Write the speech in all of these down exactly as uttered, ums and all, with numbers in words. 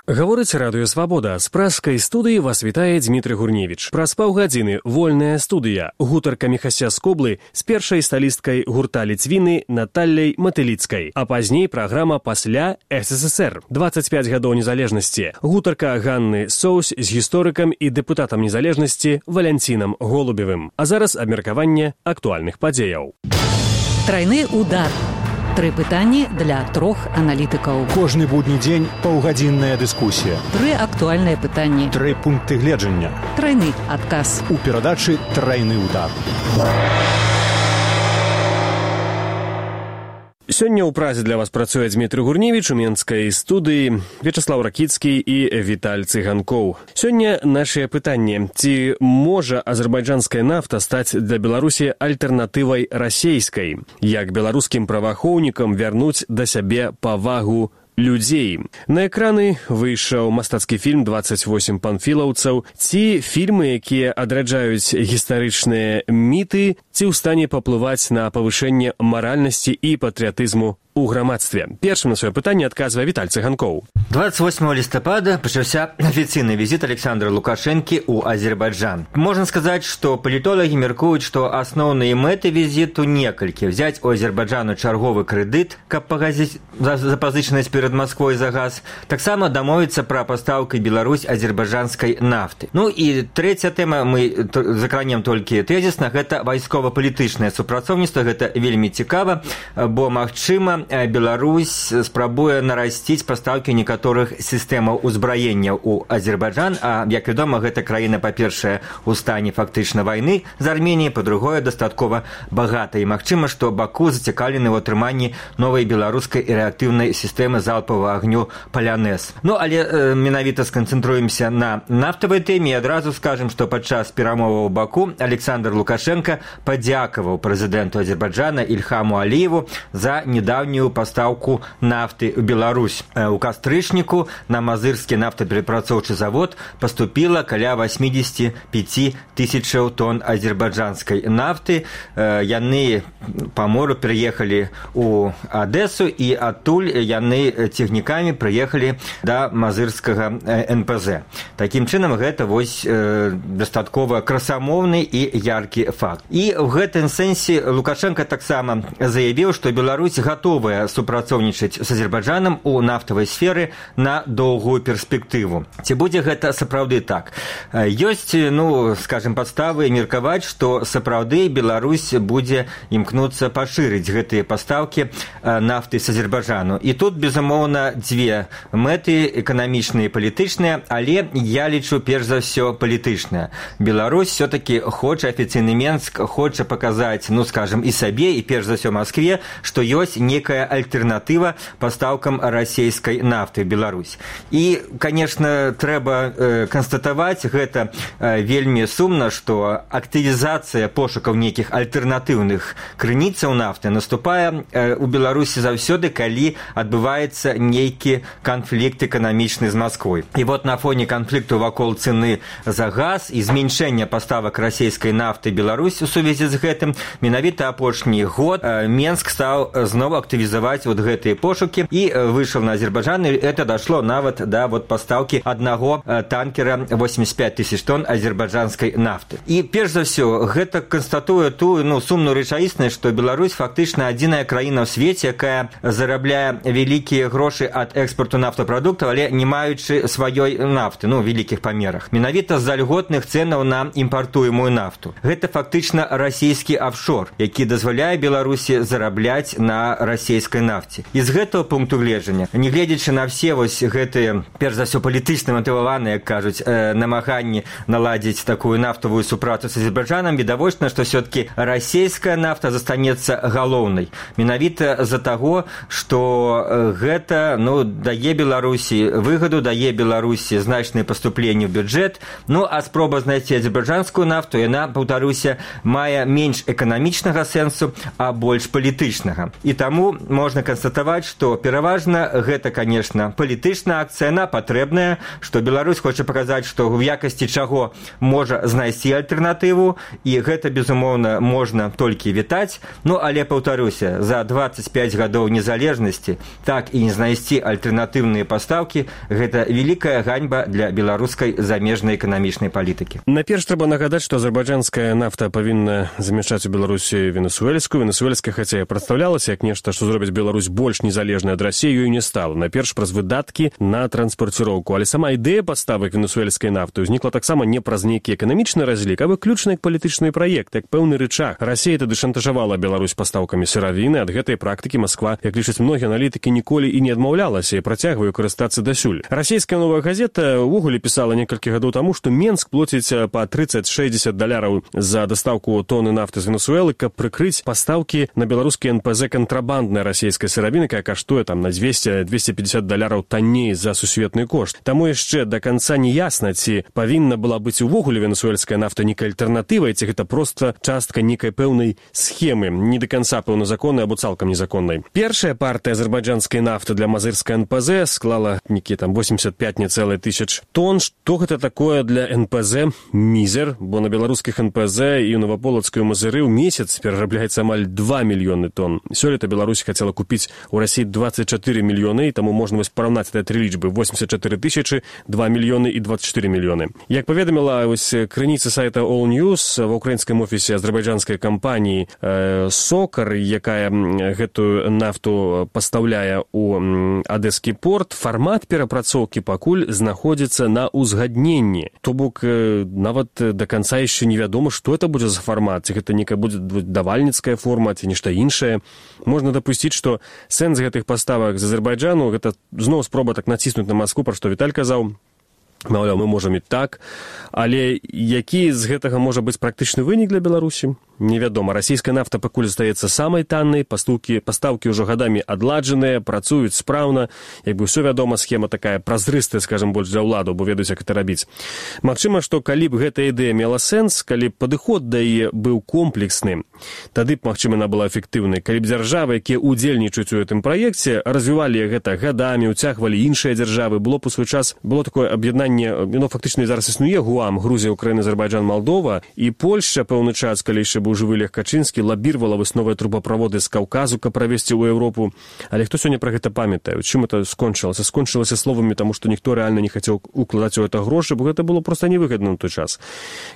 Гаворыць радыё «Свабода». З пражскай студыі вас вітае Дмітрый Гурневіч. Праз паўгадзіны вольная студыя. Гутарка Міхася Скоблы з першай салісткай гурта Ліцвіны Наталляй Матыліцкай. А пазней праграма «Пасля СССР». дваццаць пяць гадоў незалежнасці. Гутарка Ганны Соусь з гісторыкам і дэпутатам незалежнасці Валянцінам Голубевым. А зараз абмеркаванне актуальных падзеяў. Трайны удар. Тры пытанні для трох аналітыкаў. Кожны будні дзень паўгадзінная дыскусія. Тры актуальныя пытанні. Тры пункты гледжання. Трайны адказ. У перадачы «Трайны удар». Сёння ў празе для вас працуе Дмітрый Гурневіч, у менскай студыі Вячаслаў Ракіцкі і Віталь Цыганкоў. Сёння нашае пытанне. Ці можа азербайджанская нафта стаць для Беларусі альтэрнатывай расейскай? Як беларускім праваахоўнікам вярнуць да сябе павагу людзей? На экраны выйшаў мастацкі фільм «дваццаць восем панфілаўцаў». Ці фільмы, якія адраджаюць гістарычныя міты, ці ў стане паплываць на павышэнне маральнасці і патрыятызму у грамадстве? Першым на сваё пытанне адказвае Віталь Цыганкоў. двадцать восьмого листопада пачаўся афіцыйны візіт Александра Лукашэнкі ў Азербайджан. Можна сказаць, што палітолагі мяркуюць, што асноўныя мэты візіту некалькі: взяць у Азербайджану чарговы крэдыт, каб пагасіць запазычанасць перад Масквой за газ, таксама дамовіцца пра пастаўку Беларусь азербайджанскай нафты. Ну і трэцяя тэма, мы закранем толькі тэзісна, гэта вайскова-палітычнае супрацоўніцтва. Гэта вельмі цікава, бо магчыма Беларусь спрабуе нарасціць пастаўкі некаторых сістэмаў узбраення ў Азербайджан, а, як вядома, гэта краіна, па-першае, у стане фактычна вайны з Арменіяй, па-другое, дастаткова багата. І магчыма, што Баку зацікаўлены ў атрыманні новай беларускай і рэактыўнай сістэмы залпавага агню «Палянез». Ну, але э, менавіта сканцэнтруемся на нафтавай тэме і адразу скажам, што падчас перамоваў у Баку Александр Лукашенко падзякаваў прэзідэнту Азербайджана Ільхаму Аліеву за недаўнюю пастаўку нафты ў Беларусь. У кастрычніку на мазырскі нафтаперапрацоўчы завод паступіла каля восемьдесят пять тысячаў тонн азербайджанскай нафты. Яны па мору пераехалі ў Адэсу і адтуль яны цягнікамі прыехалі да мазырскага эн пэ зэ. Такім чынам, гэта вось дастаткова красамоўны і яркі факт. І ў гэтым сэнсе Лукашенко таксама заявіў, што Беларусь гатовая супрацоўнічаць з Азербайджанам у нафтавай сферы на доўгую перспектыву. Ці будзе гэта сапраўды так? Ёсць, ну, скажем, падставы меркаваць, што сапраўды Беларусь будзе імкнуцца пашырыць гэтыя пастаўкі нафты з Азербайджану. І тут, безумоўна, дзве мэты: эканамічныя і палітычныя, але я лічу перш за ўсё палітычныя. Беларусь все-таки хоча, афіцыйны Менск хоча паказаць, ну, скажем, і сабе, і перш за ўсё Маскве, што ёсць некая альтэрнатыва пастаўкам расійскай нафты ў Беларусь. І, конечно, трэба э, канстатаваць, гэта э, вельмі сумна, што актывізацыя пошукаў нейкіх альтэрнатыўных крыніцаў нафты наступае э, у Беларусі заўсёды, калі адбываецца нейкі канфлікт эканамічны з Масквой. І вот на фоне канфлікту вакол цэны за газ і зменшэння паставак расійскай нафты Беларусь у сувязі з гэтым, менавіта апошні год э, Менск стаў зноў актывізаваць вот гэтыя пошукі і выйшаў на Азербайджан, і это дашло нават да вот пастаўкі аднаго танкера восемьдесят пять тысяч тонн азербайджанскай нафты. І перш за ўсё гэта канстатуе тую, ну, сумную рэчаіснасць, што Беларусь фактычна адзіная краіна ў свеце, якая зарабляе вялікія грошы ад экспарту нафтапрадуктаў, але не маючы сваёй нафты, ну, у вялікіх памерах. Менавіта з-за льготных цэнаў на імпартуемую нафту. Гэта фактычна расійскі офшор, які дазваляе Беларусі зарабляць на расійскай нафце. І з гэтага пункту гледжання, не гледзячы на все вось гэтыя, перш за ўсё, палітычна матываваныя, як кажуць, э, намаганні наладзіць такую нафтавую супрацу з Азербайджанам, відавочна, што все-таки расійская нафта застанецца галоўнай. Менавіта з-за таго, што гэта, ну, дае Беларусі выгаду, дае Беларусі значныя паступленні ў бюджэт. Ну, а спроба знайсці азербайджанскую нафту, яна, паўтаруся, мае менш эканамічнага сэнсу, а больш палітычнага. І таму можна канстатаваць, што пераважна гэта, конечно, палітычная акцыя, яна патрэбная, што Беларусь хоча паказаць, што ў якасці чаго можа знайсці альтэрнатыву, і гэта, безумоўна, можна толькі вітаць. Ну, але, паўтаруся, за дваццаць пяць гадоў незалежнасці так і не знайсці альтэрнатыўныя пастаўкі – гэта вялікая ганьба для беларускай замежнай эканамічнай палітыкі. Наперш трэба нагадаць, што азербайджанская нафта павінна замяшчаць у Беларусі венесуэльскую. Венесуэльская, хаця і прадстаўлялася як нешта, што зробіць Беларусь больш незалежнай ад Расіі, ёй не стала. Наперш праз выдаткі на транспарціроўку. Але сама ідэя паставак венесуэльскай нафты ўзнікла таксама не праз нейкі эканамічны разлік, а выключна як палітычны праект, як пэўны рычаг. Расія тады шантажавала Беларусь пастаўкамі сыравіны. Ад гэтай практыкі Масква, як лічаць многія аналітыкі, ніколі і не адмаўлялася і працягвае карыстацца дасюль. Расійская новая газета ўвогуле пісала некалькі гадоў таму, што Менск плоціць па трыццаць-шэсцьдзесят даляраў за дастаўку тоны нафты з Венесуэлы, каб прыкрыць пастаўкі на беларускі эн пэ зэ кантрабанднай расійскай сыравіны, якая каштуе там на дзвесце - дзвесце пятьдесят даляраў танней за сусветны кошт. Таму яшчэ да канца не ясна, ці павінна была быць увогуле венесуэльская нафта нейкай альтэрнатывай, ці гэта проста частка нейкай пэўнай схемы, не да канца пэўна законнай або цалкам незаконнай. Першая партыя азербайджанскай нафты для мазырскай эн пэ зэ склала нейкі там восемьдесят пять тысяч тонн. Што гэта такое для эн пэ зэ? Мізер, бо на беларускіх эн пэ зэ і ў Новаполацкай Мазыры ў месяц перарабляецца амаль два мільёны тонн. Сёлета Беларусь хацела купіць у Расіі двадцать четыре мільёны, і таму можна вось параўнаць гэтыя тры лічбы: восемьдесят четыре тысячы, два мільёны і двадцать четыре мільёны. Як паведаміла вось крыніца сайта All News, ва ўкраінскім офісе азербайджанскай кампаніі э, Сокар, якая гэтую нафту пастаўляе ў адэскі порт, фармат перапрацоўкі пакуль знаходзіцца на ўзгадненні. То бок э, нават да канца яшчэ невядома, што это будзе за фармат, ці гэта некая будзе давальніцкая форма, ці нешта іншае. Можна дапусціць, што сэнс гэтых паставак з Азербайджану гэта зноў спроба так націснуць на Маскву, пра што Віталь казаў. Маўляў, мы можам і так, але які з гэтага можа быць практычны вынік для Беларусі? Невядома. Расійская нафта пакуль застаецца самай таннай, пастаўкі, пастаўкі ўжо гадамі адладжаныя, працуюць спраўна, як бы ўсё вядома, схема такая празрыстая, скажам, больш для ўладаў, бо ведаюць, як гэта рабіць. Магчыма, што калі б гэтая ідэя мела сэнс, калі б падыход да яе быў комплексны, тады б, магчыма, яна была эфектыўнай. Калі б дзяржавы, якія ўдзельнічаюць у гэтым праекце, развівалі гэта гадамі, уцягвалі іншыя дзяржавы, было б у свой час, было такое аб'яднанне, ну, фактычна зараз існуе ГУАМ, Грузія, Украіна, Азербайджан, Малдова, і Польшча пэўны час, калі яшчэ быў жывы Лех Качынскі, лабірвала вось новыя трубаправоды з Каўказу, каб правесці ў Еўропу. Але хто сёння пра гэта памятае? Чым это скончылася? Скончылася словамі, таму што ніхто рэальна не хацеў укладаць у гэта грошы, бо гэта было проста невыгадна на той час.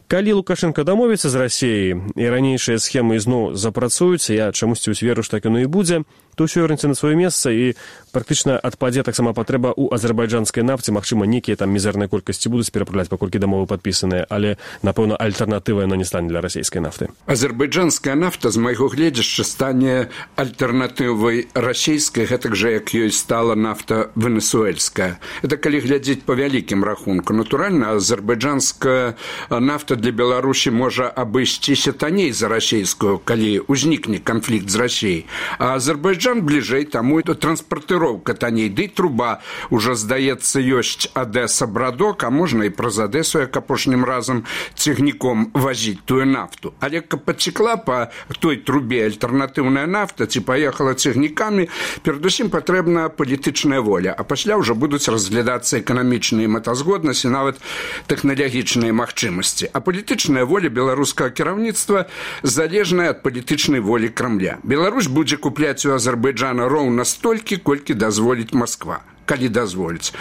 Калі Лукашенко дамовіцца з Расіяй і ранейшыя схемы ізноў запрацуюцца, я чамусьці веру, што так яно і будзе, то ўсё вернецца на сваё месца і практычна адпадзе таксама патрэба ў азербайджанскай нафце. Магчыма, нейкія там мізэрныя колькасці будуць перапраўляць, паколькі дамовы падпісаныя, але, напэўна, альтэрнатыва яно не стане для расійскай нафты. Азербайджанская нафта, з майго гледзяшча, стане альтэрнатывай расійскай, гэтак жа, як ёй стала нафта венесуэльская. Это калі глядзець па вялікім рахунку. Натуральна, азербайджанская нафта для Беларусі можа абысціся танней за расійскую, калі ўзнікне канфлікт з Расіяй. А Азербайджан бліжэй, таму і транспартыроўка танней. Ды труба ўжо, здаецца, ёсць Адэса-Брадок, а можна і праз Адэсу, як апошнім разам, цягніком вазіць тую нафту. Але каб пацекла па той трубе альтэрнатыўная нафта, ці паехала цягнікамі, перадусім патрэбна палітычная воля, а пасля ўжо будуць разглядацца эканамічныя мэтазгоднасці, нават тэхналагічныя магчымасці. А палітычная воля беларускага кіраўніцтва залежная ад палітычнай волі Крамля. Беларусь будзе купляць у Азербайджана роўна столькі, колькі дазволіць Масква, калі дазволіць.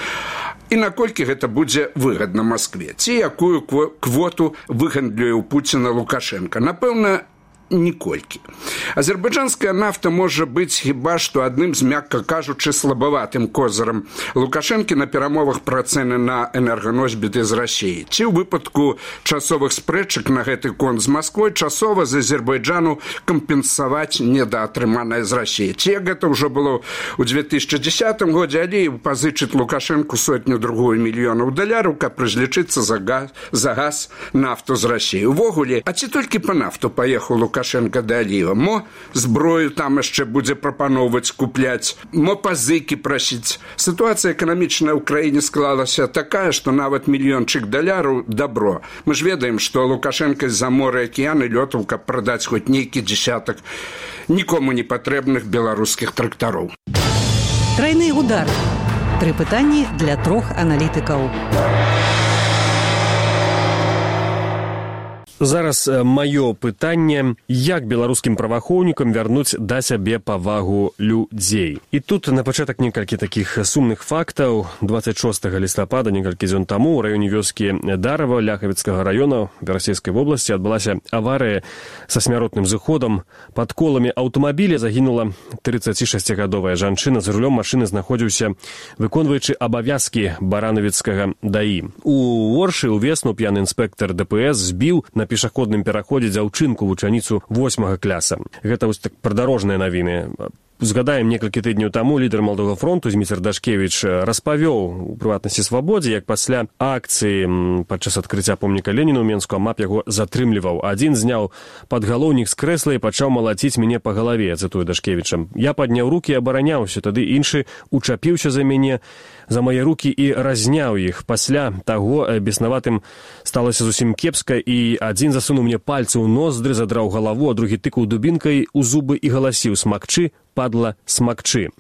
І наколькі гэта будзе выгадна Маскве, ці якую квоту выгандлюе ў Пуціна Лукашенка. Напэўна, ніколькі. Азербайджанская нафта можа быць хіба што адным з, мякка кажучы, слабаватым козырам Лукашэнкі на перамовах пра цэны на энерганосьбіты з Расіі. Ці ў выпадку часовых спрэчак на гэты конт з Масквой часова з Азербайджану кампенсаваць недаатрыманае з Расіі. Ці як гэта ўжо было ў две тысячы дзесятым годзе, Аліеў пазычыць Лукашэнку сотню-другую мільёнаў даляраў, каб разлічыцца за газ, за газ нафту з Расіі. Увогуле, а ці толькі па нафту паехаў Лукашэнка Лукашенко да Аліева. Мо зброю там яшчэ будзе прапаноўваць, купляць, мо пазыкі прасіць. Сітуацыя эканамічная ў краіне склалася такая, што нават мільёнчык даляраў дабро. Мы ж ведаем, што Лукашенко з-за мора акіяны лётаў, каб прадаць хоць нейкі дзесятак нікому не патрэбных беларускіх трактароў. Трайны удар. Тры пытанні для трох аналітыкаў. Зараз маё пытанне, як беларускім праваахоўнікам вярнуць да сябе павагу людзей. І тут на пачатак некалькі такіх сумных фактаў. дваццаць шостага лістапада, некалькі дзён таму, у раёне вёскі Дарава Ляхавіцкага раёна Расійскай вобласці адбылася аварыя са смяротным зыходам. Пад коламі аўтамабіля загінула трыццацішасцігадовая жанчына. За рулём машыны знаходзіўся выконваючы абавязкі баранавіцкага даі. У Оршы ўвесну п'яны інспектар ДПС збіў на пешаходным пераходзе дзяўчынку вучаніцу восьмага класа. Гэта вось так прыдарожныя навіны. Згадаем, некалькі тыдняў таму лідар Маладога фронту Зміцер Дашкевіч распавёў у прыватнасці Свабодзе, як пасля акцыі падчас адкрыцця помніка Леніну ў Менску АМАП яго затрымліваў. Адзін зняў падгалоўнік з крэсла і пачаў малаціць мяне па галаве, цытую Дашкевіча. Я падняў рукі і абараняўся, тады іншы учапіўся за мяне, за мае рукі і разняў іх. Пасля таго беснаватым сталася зусім кепска, і адзін засунуў мне пальцы ў ноздры, задраў галаву, а другі тыкаў дубінкай у зубы і галасіў: «Смакчы, падла, смакчы».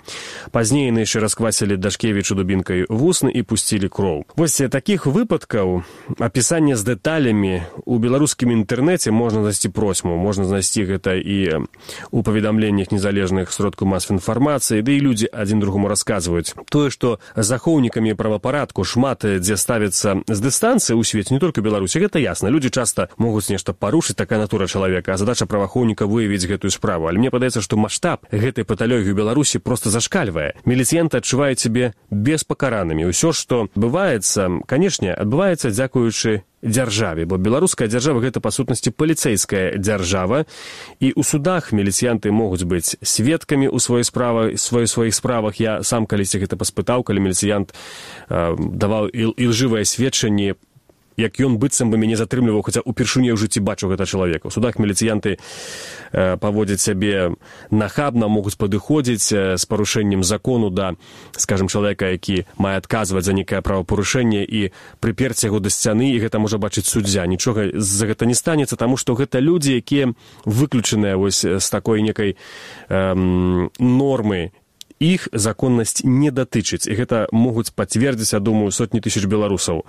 Пазней яны яшчэ расквасілі Дашкевічу дубінкай вусны і пусцілі кроў. Вось такіх выпадкаў, апісання з дэталямі у беларускім інтэрнэце можна знайсці просьму. Можна знайсці гэта і у паведамленнях незалежных сродкаў масавай інфармацыі, ды і людзі адзін другому расказваюць. Тое, што захоўнікамі правапарадку шмат дзе ставіцца з дыстанцыі ў свеце, не толькі Беларусі, гэта ясна. Людзі часта могуць нешта парушыць, такая натура чалавека, а задача праваахоўніка выявіць гэтую справу. Але мне падаецца, што маштаб гэтай паталогіі ў Беларусі проста зашкальвае. Міліцыянты адчуваюць сябе беспакаранымі. Усё, што адбываецца, канешне, адбываецца дзякуючы дзяржаве, бо беларуская дзяржава гэта па сутнасці паліцэйская дзяржава, і ў судах міліцыянты могуць быць сведкамі ў сваёй справе, сваёй сваіх справах. Я сам калісьці гэта паспытаў, калі міліцыянт э, даваў ілжывае сведчанне, як ён быццам бы мяне затрымліваў, хаця ўпершыню ў жыцці бачыў гэта чалавека. У судах міліцыянты э, паводзяць сябе нахабна, могуць падыходзіць э, з парушэннем закону да, скажем, чалавека, які мае адказваць за нейкае правапарушэнне, і прыперць яго да сцяны, і гэта можа бачыць суддзя. Нічога за гэта не станецца, таму што гэта людзі, якія выключаныя вось з такой некай э, нормы. Іх законнасць не датычыць, і гэта могуць пацвердзіць, я думаю, сотні тысяч беларусаў.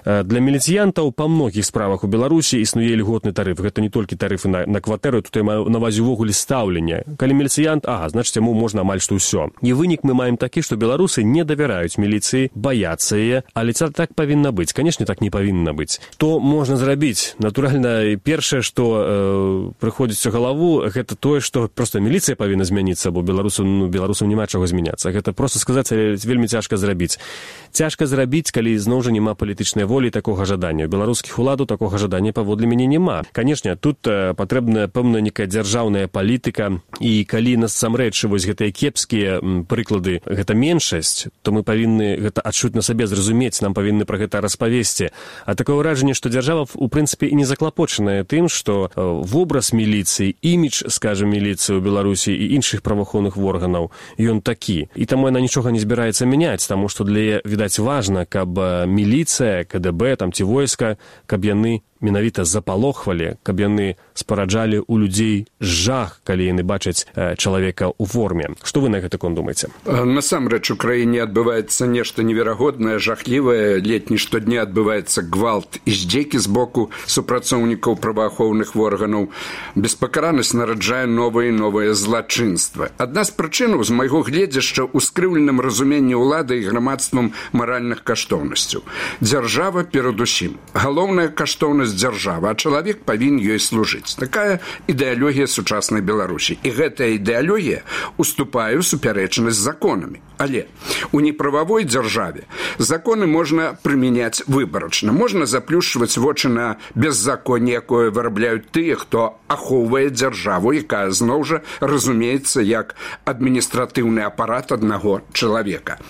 Для міліцыянтаў па многіх справах у Беларусі існуе льготны тарыф. Гэта не толькі тарыфы на, на кватэру, тут я маю на ўвазе ўвогуле стаўленне. Калі міліцыянт, ага, значыць, яму можна амаль што ўсё. І вынік мы маем такі, што беларусы не давяраюць міліцыі, баяцца яе, але це так павінна быць. Канешне, так не павінна быць. То можна зрабіць. Натуральна, першае, што э, прыходзіць у галаву, гэта тое, што проста міліцыя павінна змяніцца, бо беларусам, ну, беларусам няма чаго змяняцца. Гэта проста сказаць, але вельмі цяжка зрабіць. Цяжка зрабіць, калі зноў жа няма палітычнай волі такога жадання. Беларускіх уладаў такога жадання паводле мяне няма. Канешне, тут э, патрэбная пэўная некая дзяржаўная палітыка, і калі насамрэч вось гэтыя кепскія м, прыклады, гэта меншасць, то мы павінны гэта адчуць на сабе, зразумець, нам павінны пра гэта распавесці. А такое ўражанне, што дзяржава у прынцыпе і не заклапочаная тым, што э, вобраз міліцыі, імідж, скажем, міліцыі ў Беларусі і іншых праваахоўных органаў, ён такі. І таму яна нічога не збіраецца мяняць, таму што для яе, відаць, важна, каб міліцыя, КДБ, там ці войска, каб яны менавіта запалохвалі, каб яны спараджалі ў людзей жах, калі яны бачаць э, чалавека ў форме. Што вы на гэты конт думаеце? Насамрэч у краіне адбываецца нешта неверагоднае, жахлівае. Летні штодня адбываецца гвалт і здзекі з боку супрацоўнікаў праваахоўных органаў. Беспакаранасць нараджае новыя і новыя злачынствы. Адна з прычынаў, з майго гледзяшча, у скрыўленым разуменні ўлады і грамадствам маральных каштоўнасцяў. Дзяржава перадусім. Галоўная каштоўнасць дзяржавы, а чалавек павінен ёй служыць. Такая ідэалогія сучаснай Беларусі. І гэтая ідэалогія уступае ў супярэчнасць з законамі. Але у неправавой дзяржаве законы можна прымяняць выбарачна. Можна заплюшчваць вочы на беззаконне, якое вырабляюць тыя, хто ахоўвае дзяржаву, якая зноў жа разумеецца як адміністратыўны апарат аднаго чалавека.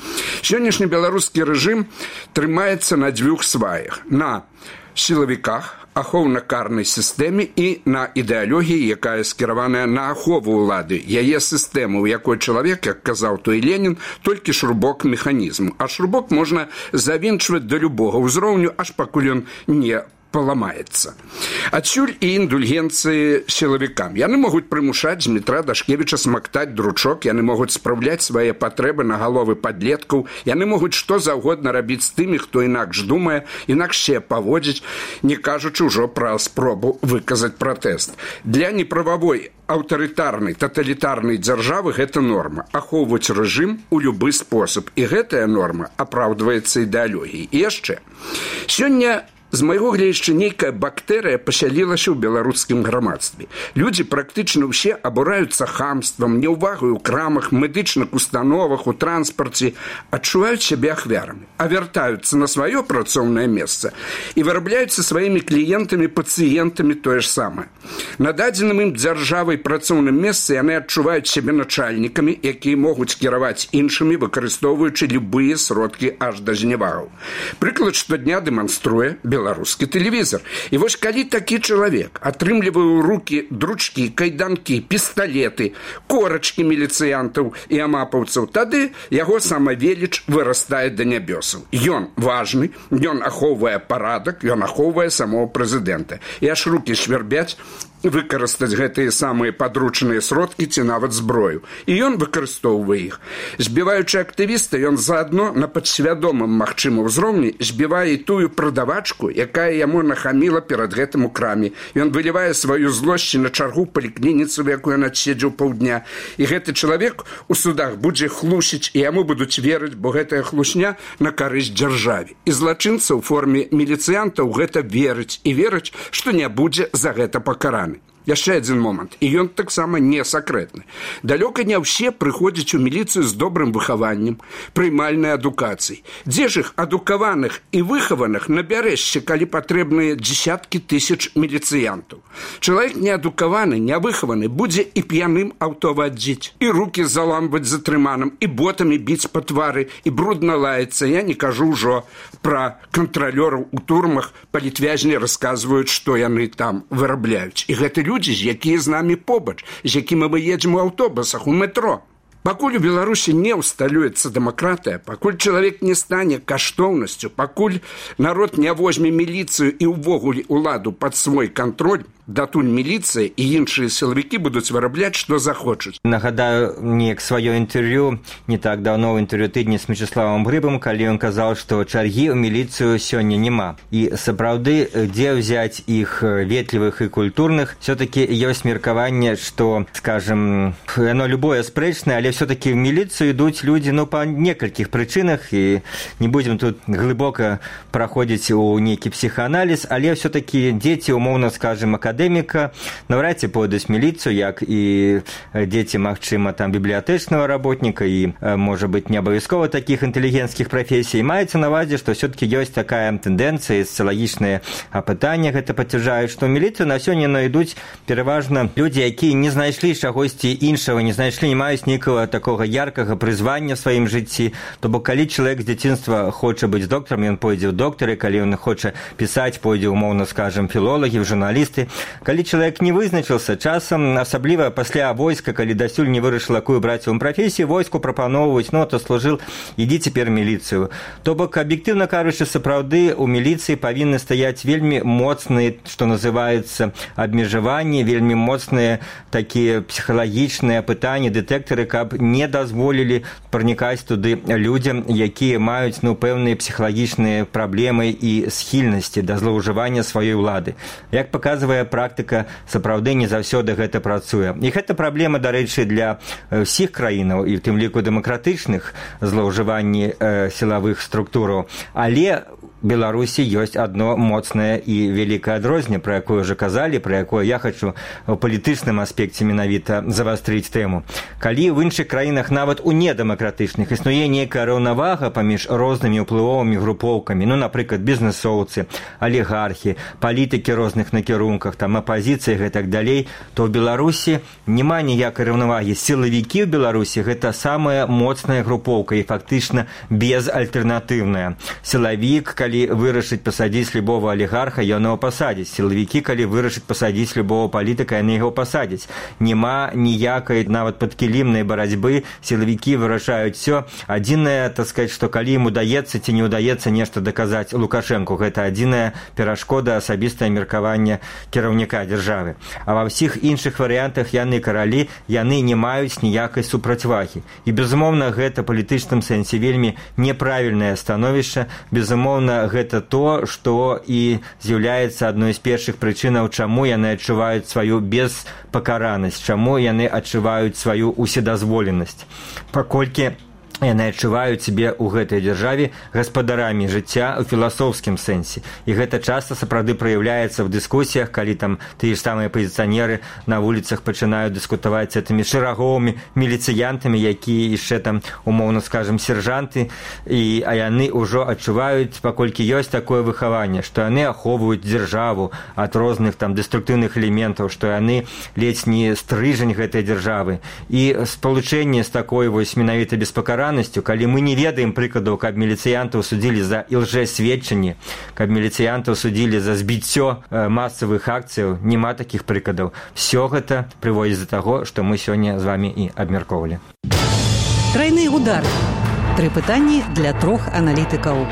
Сённяшні беларускі рэжым трымаецца на дзвюх сваях. На сілавіках, ахоўна-карнай сістэме і на ідэалогіі, якая скіраваная на ахову ўлады, яе сістэмы, у якой чалавек, як казаў той Ленін, толькі шрубок механізму. А шрубок можна завінчваць да любога ўзроўню, аж пакуль ён не паламаецца. Адсюль і індульгенцыі сілавікам. Яны могуць прымушаць Дмітра Дашкевіча смактаць дручок, яны могуць спраўляць свае патрэбы на галовы падлеткаў, яны могуць што заўгодна рабіць з тымі, хто інакш думае, інакш се паводзіць, не кажучы ўжо пра спробу выказаць пратэст. Для неправавой аўтарытарнай, таталітарнай дзяржавы гэта норма. Ахоўваць рэжым у любы спосаб. І гэтая норма апраўдваецца ідэалогіяй. І яшчэ. Сёння з майго гледзяча нейкая бактэрыя пасялілася ў беларускім грамадстве. Людзі практычна ўсе абураюцца хамствам, няўвагай у крамах, медычных установах, у транспарце, адчуваюць сябе ахвярамі, а вяртаюцца на сваё працоўнае месца і вырабляюцца сваімі кліентамі, пацыентамі тое ж самае. На дадзеным ім дзяржавай працоўным месцы яны адчуваюць сябе начальнікамі, якія могуць кіраваць іншымі, выкарыстоўваючы любыя сродкі аж да зневагаў. Прыклад штодня дэманструе беларускі тэлевізор. І вось калі такі чалавек атрымлівае ў рукі дручкі, кайданкі, пісталеты, корачкі міліцыянтаў і амапаўцаў, тады яго самавеліч вырастае да нябёсаў. Ён важны, ён ахоўвае парадак, ён ахоўвае самого прэзідэнта. І аж рукі свярбяць выкарыстаць гэтыя самыя падручныя сродкі ці нават зброю. І ён выкарыстоўвае іх. Збіваючы актывіста, ён заадно на падсвядомым магчымым узроўні збівае тую прадавачку, якая яму нахаміла перад гэтым у краме. Ён вылівае сваю злосць на чаргу паліклініцы, в якую ён адседзеў паўдня. І гэты чалавек у судах будзе хлусіць, і яму будуць верыць, бо гэтая хлусня на карысць дзяржаве. І злачынца ў форме міліцыянтаў гэта верыць і верыць, што не будзе за гэта пакараны. Яшчэ адзін момант, і ён таксама не сакрэтны. Далёка не ўсе прыходзяць у міліцыю з добрым выхаваннем, прымальнай адукацыяй. Дзе ж іх адукаваных і выхаваных набярэшся, калі патрэбныя дзесяткі тысяч міліцыянтаў. Чалавек неадукаваны, нявыхаваны будзе і п'яным аўто вадзіць, і рукі заламваць затрыманым, і ботамі біць па твары, і брудна лаяцца. Я не кажу ўжо пра кантралёраў у турмах, палітвязні расказваюць, што яны там вырабляюць. І гэты людзі, якія з намі побач, з якімі мы едзем у аўтобусах, у метро. Пакуль у Беларусі не ўсталюецца дэмакратыя, пакуль чалавек не стане каштоўнасцю, пакуль народ не возьме міліцыю і ўвогуле ўладу пад свой кантроль, датуль міліцыя і іншыя сілавікі будуць вырабляць, што захочуць. Нагадаю неяк сваё інтэрв'ю не так даўно ў інтэрв'ю тыдня з Мячеславам Грыбам, калі ён казаў, што чаргі ў міліцыю сёння няма. І сапраўды, дзе ўзяць іх ветлівых і культурных, все-таки ёсць меркаванне, што, скажем, яно любое спрэчнае, але все-таки в милицию идут люди, ну, по некальких причинах, и не будем тут глубоко проходить у некий психоанализ, але все-таки дети, умовно скажем, академика, навряд ці пойдуць в милицию, як и дети, магчыма, там, библиотечного работника, и, может быть, не обовязково таких интеллигентских профессий. Маецца на увазе, что все-таки есть такая тенденция, социологічныя апытанні гэта пацвярджаюць, что в милицию на сёння найдуць пераважна люди, якія не знайшлі чагосьці іншага, не знайшлі, не маюць нейкага такого яркага прызвання в сваім жыцці. То бок, калі чалавек з дзяцінства хоча быць докторам, ён пойдзе ў доктары, калі ён хоча пісаць, пойдзе, умоўна скажем, філолагі, журналісты. Калі чалавек не вызначыўся, часам, асабліва пасля войска, калі дасюль не вырашыла, якую браць вам прафесію, войску прапаноўваюць, ну, то служыў, ідзі цяпер міліцыю. То бок, аб'ектыўна кажучы, сапраўды у міліцыі павінны стаяць вельмі моцныя, што называецца, абмежаванні, вельмі моцныя такія псіхалагічныя пытанні, дэтэктары, каб не дазволілі пранікаць туды людзям, якія маюць, ну, пэўныя псіхалагічныя праблемы і схільнасці да злоўжывання сваёй улады. Як паказвае практыка, сапраўды не заўсёды гэта працуе. І гэта праблема, дарэчы, для ўсіх краінаў, і в тым ліку дэмакратычных злоўжыванні э, сілавых структураў. Але Беларусі ёсць адно моцнае і вялікае адрозненне, пра якое ўжо казалі, пра якое я хочу ў палітычным аспекце менавіта завастрыць тэму. Калі в іншых краінах, нават у недэмакратычных, існуе нейкая раўнавага паміж рознымі ўплывовымі групоўкамі, ну, напрыклад, бізнесоўцы, алігархі, палітыкі розных накірунках, там апазіцыі і так далей, то ў Беларусі няма ніякай раўнавагі. Сілавікі ў Беларусі гэта самая моцная групоўка і фактычна безальтэрнатыўная. Сілавік, калі калі вырашыць пасадзіць любого алігарха, ён яго пасадзіць. Сілавікі, калі вырашыць пасадзіць любого палітыка, яны яго пасадзяць. Няма ніякай нават падкілімнай барацьбы, сілавікі вырашаюць все. Адзінае, так сказаць, што калі ім удаецца ці не удаецца нешта даказаць Лукашэнку, гэта адзіная перашкода, асабістае меркаванне кіраўніка дзяржавы. А ва ўсіх іншых варыянтах яны каралі, яны не маюць ніякай супрацьвагі. І, безумоўна, гэта палітычным сэнсе вельмі неправільнае становішча. Безумоўна, гэта то, што і з'яўляецца адной з першых прычынаў, чаму яны адчуваюць сваю беспакаранасць, чаму яны адчуваюць сваю уседазволенасць. Паколькі яны адчуваюць сябе ў гэтай дзяржаве гаспадарамі жыцця ў філасофскім сэнсе. І гэта часта сапраўды праяўляецца ў дыскусіях, калі там тыя ж самыя пазіцыянеры на вуліцах пачынаюць дыскутаваць з гэтымі шэраговымі міліцыянтамі, якія яшчэ там, умоўна скажам, сержанты, і, а яны ўжо адчуваюць, паколькі ёсць такое выхаванне, што яны ахоўваюць дзяржаву ад розных там дэструктыўных элементаў, што яны ледзь не стрыжань гэтай дзяржавы. І спалучэнне з такой вось менавіта беспакаранасцю, калі мы не ведаем прыкладаў, каб міліцыянтаў судзілі за ілжэсведчанне, каб міліцыянтаў судзілі за збіццё масавых акцыяў, няма такіх прыкладаў. Всё гэта прыводзіць да таго, што мы сёння з вамі і абмяркоўвалі. Трайны удар. Тры пытанні для трох аналітыкаў.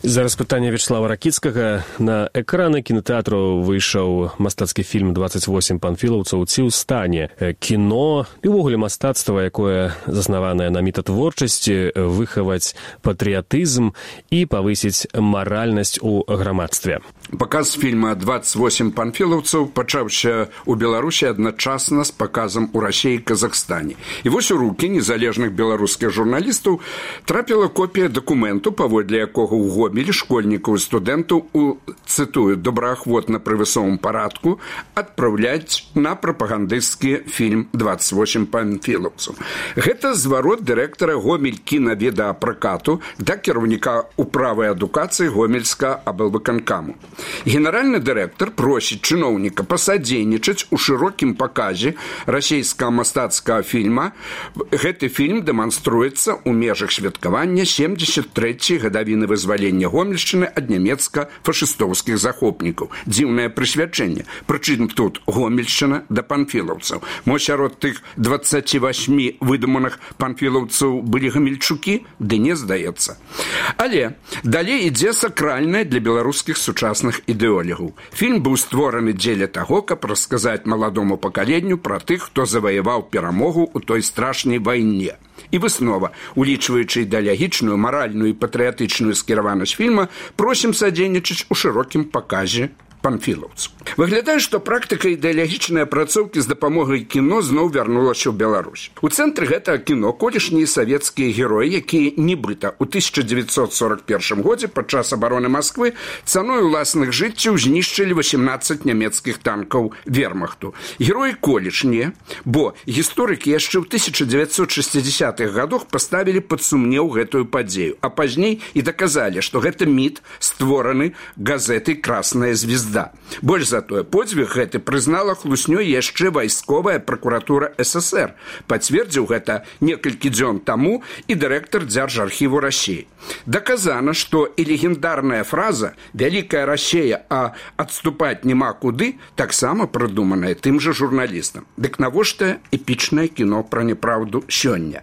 Зараз пытанне Вячеслава Ракіцкага. На экраны кінотэатру выйшаў мастацкі фільм «двадцать восемь панфілаўцаў. Ці ў стане». Кіно і ўвогуле мастацтва, якое заснаванае на мэтатворчасці, выхаваць патрыятызм і павысіць маральнасць у грамадстве. Паказ фільма «двадцать восемь панфілаўцаў» пачаўся ў Беларусі адначасна з паказам у Расіі і Казахстане. І вось у рукі незалежных беларускіх журналістаў трапіла копія дакументу, паводле якога ў Гомелі школьнікаў і студэнтаў у, цытую, добраахвотна пры высокім парадку адпраўляць на прапагандысцкі фільм «двадцать восемь панфілаўцаў». Гэта зварот дырэктара Гомель кінавідэапракату да кіраўніка управы адукацыі Гомельска аблвыканкаму. Генеральны дырэктар просіць чыноўніка пасадзейнічаць у шырокім паказе расійскага мастацкага фільма. Гэты фільм дэманструецца ў межах святкавання семьдесят трэцяй гадавіны вызвалення Гомельшчыны ад нямецка-фашыстоўскіх захопнікаў. Дзіўнае прысвячэнне. Прычым тут Гомельшчына да панфілаўцаў. Мо сярод тых двадцати восьми выдуманых панфілаўцаў былі гамельчукі? Ды не здаецца. Але далей ідзе сакральнае для беларускіх сучасных ідэолігаў. Фільм быў створаны дзеля таго, каб расказаць маладому пакаленню пра тых, хто заваяваў перамогу ў той страшнай вайне. І выснова, улічваючы ідэалагічную, маральную і патрыятычную скіраванасць фільма, просім садзейнічаць у шырокім паказе панфілаўцаў. Выглядае, што практыка ідэалагічнай апрацоўкі з дапамогай кіно зноў вярнулася ў Беларусь. У цэнтры гэтага кіно колішнія савецкія героі, якія нібыта ў тысяча дзевяцьсот сорок першым годзе падчас абароны Масквы цаной уласных жыццяў знішчылі восемнадцать нямецкіх танкаў вермахту. Героі колішнія, бо гісторыкі яшчэ ў тысяча дзевяцьсот шестидесятых гадах паставілі пад сумнеў гэтую падзею, а пазней і даказалі, што гэта міт, створаны газетай «Красная звезда». Больш за тое, подзвіг гэты прызнала хлуснёй яшчэ вайсковая пракуратура СССР. Пацвердзіў гэта некалькі дзён таму і дырэктар Дзяржархіву Расіі. Даказана, што і легендарная фраза «Вялікая Расія, а адступаць няма куды» таксама прыдуманая тым жа журналістам. Дык навошта эпічнае кіно пра няпраўду сёння?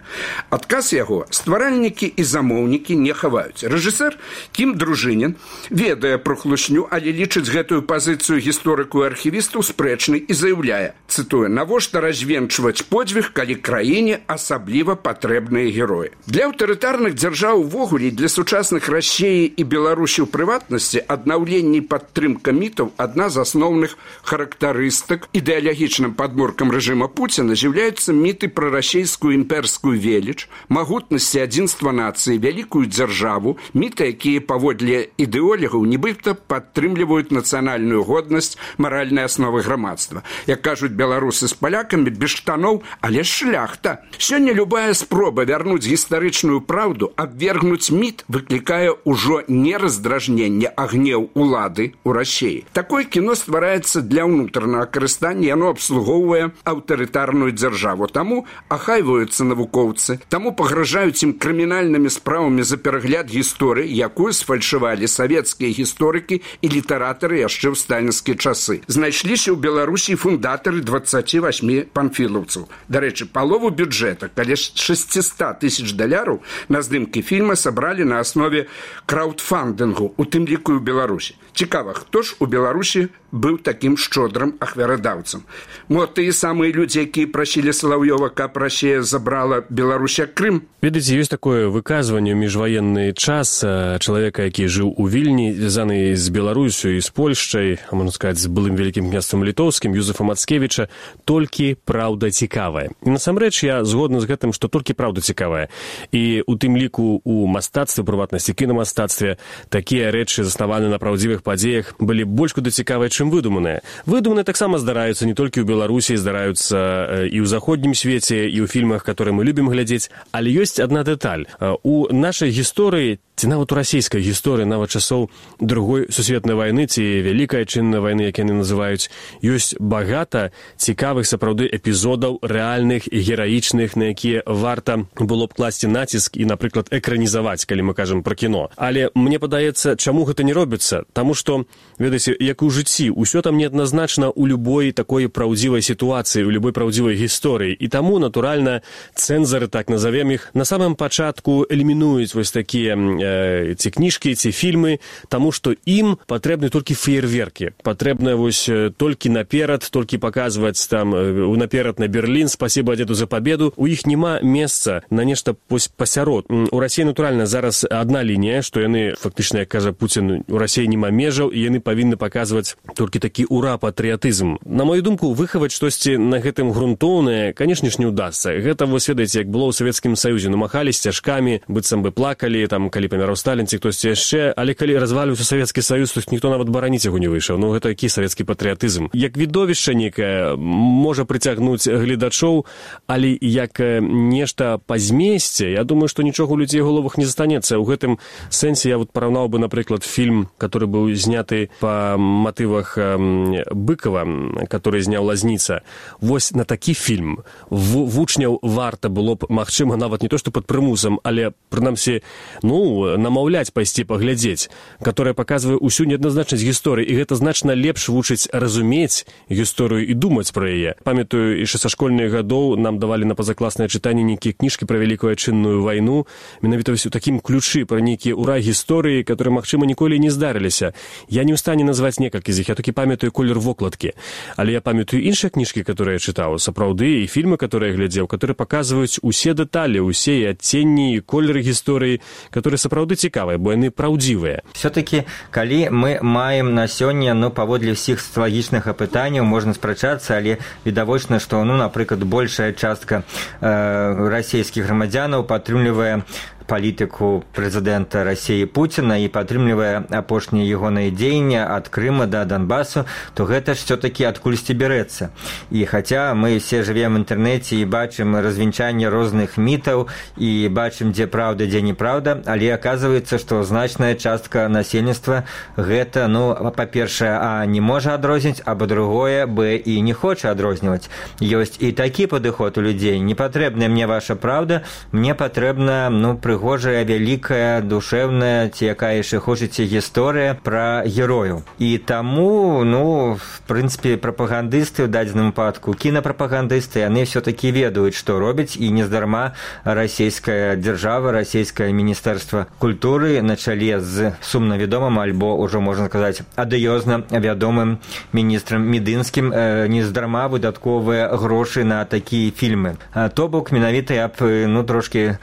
Адказ яго стваральнікі і замоўнікі не хаваюць. Рэжысэр Кім Дружынін ведае пра хлусню, але лічыць гэтую пазіцыю гісторыку і архівістаў спрэчнай і заяўляе, цытую, «Навошта развенчваць подзвіг, калі краіне асабліва патрэбныя героі». Для аўтарытарных дзяржаў увогуле, для сучасных Расіі і Беларусі ў прыватнасці, аднаўленне і падтрымка мітаў адна з асноўных характарыстык. Ідэалагічным падмуркам рэжыма Пуціна з'яўляюцца міты пра расійскую імперскую веліч, магутнасць і адзінства нацыі, вялікую дзяржаву, міты, якія паводле ідэолігаў нібыта падтрымліваюць нацыянальную нацыянальную годнасць, маральныя асновы грамадства. Як кажуць беларусы з палякамі, без штаноў, але шляхта. Сёння любая спроба вярнуць гістарычную праўду, абвергнуць міт, выклікае ўжо не раздражненне, а гнеў улады ў Расіі. Такое кіно ствараецца для ўнутранага карыстання, яно абслугоўвае аўтарытарную дзяржаву. Таму ахайваюцца навукоўцы, таму пагражаюць ім крымінальнымі справамі за перагляд гісторыі, якую сфальшывалі савецкія гісторыкі і літаратары яшчэ ў сталінскія часы. Знайшліся ў Беларусі фундатары дваццаці васьмі панфілаўцаў. Дарэчы, палову бюджэта, каля шэсцьсот тысяч даляраў на здымкі фільма сабралі на аснове краўдфандынгу, у тым ліку ў Беларусі. Цікава, хто ж у Беларусі быў такім шчодрым ахвярадаўцам? Мо тыя самыя людзі, якія прасілі Салаўёва, каб Расія забрала Беларусь як Крым? Ведаеце, ёсць такое выказванне ў міжваенны час чалавека, які жыў у Вільні, звязаны з Беларусю і з Польшчай, а можна сказаць, з былым вялікім княствам літоўскім, Юзефа Мацкевіча, толькі праўда цікавая. І насамрэч я згодны з гэтым, што толькі праўда цікавая. І у тым ліку у мастацтве, прыватнасці кінамастацтве, такія рэчы, заснаваныя на праўдзівых падзеях, былі больш куды цікавыя, чым выдуманыя. Выдуманыя таксама здараюцца не толькі ў Беларусі, здараюцца і ў заходнім свеце, і ў фільмах, которые мы любім глядзець, але ёсць адна дэталь. У нашай гісторыі, ці нават у расійскай гісторыі, нават часоў другой сусветнай вайны, ці вялікай адчыннай вайны, як яны называюць, ёсць багата цікавых сапраўды эпізодаў, рэальных і гераічных, на якія варта было б класці націск і, напрыклад, экранізаваць, калі мы кажам пра кіно. Але мне падаецца, чаму гэта не робіцца? Таму што, ведаеце, як у жыцці, усё там неадназначна ў любой такой праўдзівай сітуацыі, у любой праўдзівай гісторыі. І таму, натуральна, цэнзары, так назовем іх, на самым пачатку элімінуюць вось такія э, ці кніжкі, ці фільмы, таму што ім патрэбны толькі феерверкі. Патрэбна вось толькі наперад, толькі паказваць там наперад на Берлін, спасибо дзеду за победу. У іх няма месца на нешта пасярод. У Расіі, натуральна, зараз адна лінія, што яны, фактычна, як кажа Пуцін, у Расіі няма межаў, і яны павінны паказваць толькі такі ура-патрыятызм. На мою думку, выхаваць штосьці на гэтым грунтоўнае, канешне ж, не ўдасца. Гэта, вось ведаеце, як было ў Савецкім Саюзе, намахалі сцяжкамі, быццам бы плакалі, там, калі паміраў Сталін, ці хтосьці яшчэ, але калі разваліўся Савецкі Саюз, то ніхто нават бараніць яго не выйшаў. Ну, гэта які савецкі патрыятызм. Як відовішча некае можа прыцягнуць гледачоў, але як нешта па змесце, я думаю, што нічога ў людзей у головах не застанецца. У гэтым сэнсе я вот параўнаў бы, напрыклад, фільм, который быў зняты па матывах Быкова, который зняў Лазніца. Вось на такі фільм вучняў варта было б, магчыма, нават не то, што пад прымусам, але, прынамсі, ну, намаўляць пайсці паглядзець, которая паказвае ўсю неадназначнасць гісторыі, і гэта значна лепш вучыць разумець гісторыю і думаць пра яе. Памятаю, яшчэ са школьных гадоў нам давалі на пазакласнае чытанне нейкія кніжкі пра вялікую адчынную вайну, менавіта вось у такім ключы пра нейкія ура гісторыі, которые, магчыма, ніколі не здарыліся. Я не ў стане назваць некалькі з іх, я толькі памятаю колер вокладкі. Але я памятаю іншыя кніжкі, которые я чытаў, сапраўды, і фільмы, которые я глядзеў, которые паказваюць усе дэталі, усе і адценні, і колеры гісторыі, которые сапраўды цікавыя, бо яны праўдзівыя. Все-таки, калі мы маем на сёння, ну, паводле ўсіх социалагічных апытанняў, можна спрачацца, але відавочна, што, ну, напрыклад, большая частка э, расійскіх грамадзянаў падтрымлівае палітыку прэзідэнта Расіі Пуціна і падтрымлівае апошнія ягоныя дзеянні ад Крыма да Донбасу, то гэта ж все-таки адкульсьці бярэцца. І хаця мы все жывем в інтэрнэце і бачым развенчанне розных мітаў і бачым, дзе праўда, дзе неправда, але аказваецца, што значная частка насельніцтва гэта, ну, па-першае, а не можа адрозніць, а па-другое, б і не хоча адрозніваць. Ёсць і такі падыход у людзей. Не патрэбная мне ваша праўда, мне патрэбна, ну, прыгожая, вялікая, душэўная, ці якая яшчэ хочаце гісторыя пра герою. І таму, ну, в прынцыпе, прапагандысты, ў дадзеным выпадку, кінапрапагандысты, яны все-таки ведаюць, што робяць, і нездарма расійская дзяржава, расійскае міністэрства культуры на чале з сумна вядомым, альбо ўжо, можна сказаць, адыёзна вядомым міністрам Медынскім, э, нездарма выдатковыя грошы на такія фільмы. А то бок, менавіта я б, ну, трошки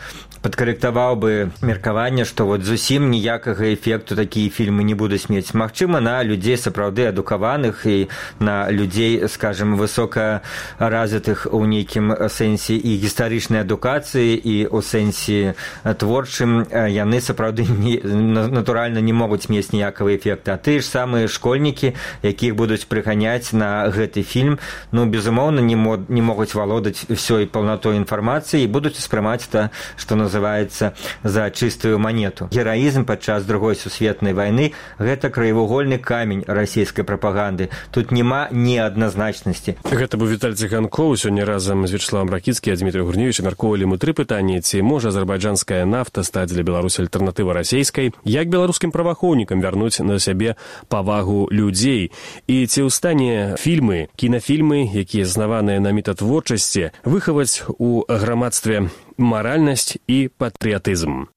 падкарэктаваў бы меркаванне, што вот зусім ніякага эфекту такія фільмы не будуць мець. Магчыма, на людзей сапраўды адукаваных і на людзей, скажем, высока развітых у нейкім сэнсе і гістарычнай адукацыі, і ў сэнсе творчым яны сапраўды не, натуральна не могуць мець ніякага эфекта. А тыя ж самыя школьнікі, якіх будуць прыганяць на гэты фільм, ну, безумоўна, не, мо, не могуць валодаць ўсёй паўнатой інфармацыі і будуць успрымаць это, што называецца, за чыстую манету. Гераізм падчас другой сусветнай вайны – гэта краевугольны камень расійскай прапаганды. Тут няма неадназначнасці. Гэта быў Віталь Ціганкоў. Сёння разам з Вячеславам Ракіцкім і Дмітрыем Гурневічам мяркоўвалі мы тры пытанні. Ці можа азербайджанская нафта стаць для Беларусі альтэрнатывай расійскай? Як беларускім праваахоўнікам вярнуць на сябе павагу людзей? І ці ў стане фільмы, кінафільмы, якія заснаваныя на метатворчасці, выхаваць у грамадстве маральнасць і патрыятызм?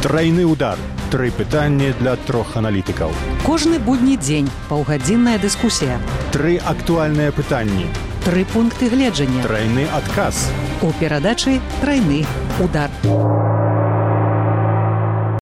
Трайны удар. Тры пытанні для трох аналітыкаў. Кожны будні дзень паўгадзінная дыскусія. Тры актуальныя пытанні. Тры пункты гледжання. Трайны адказ. У перадачы «Трайны удар».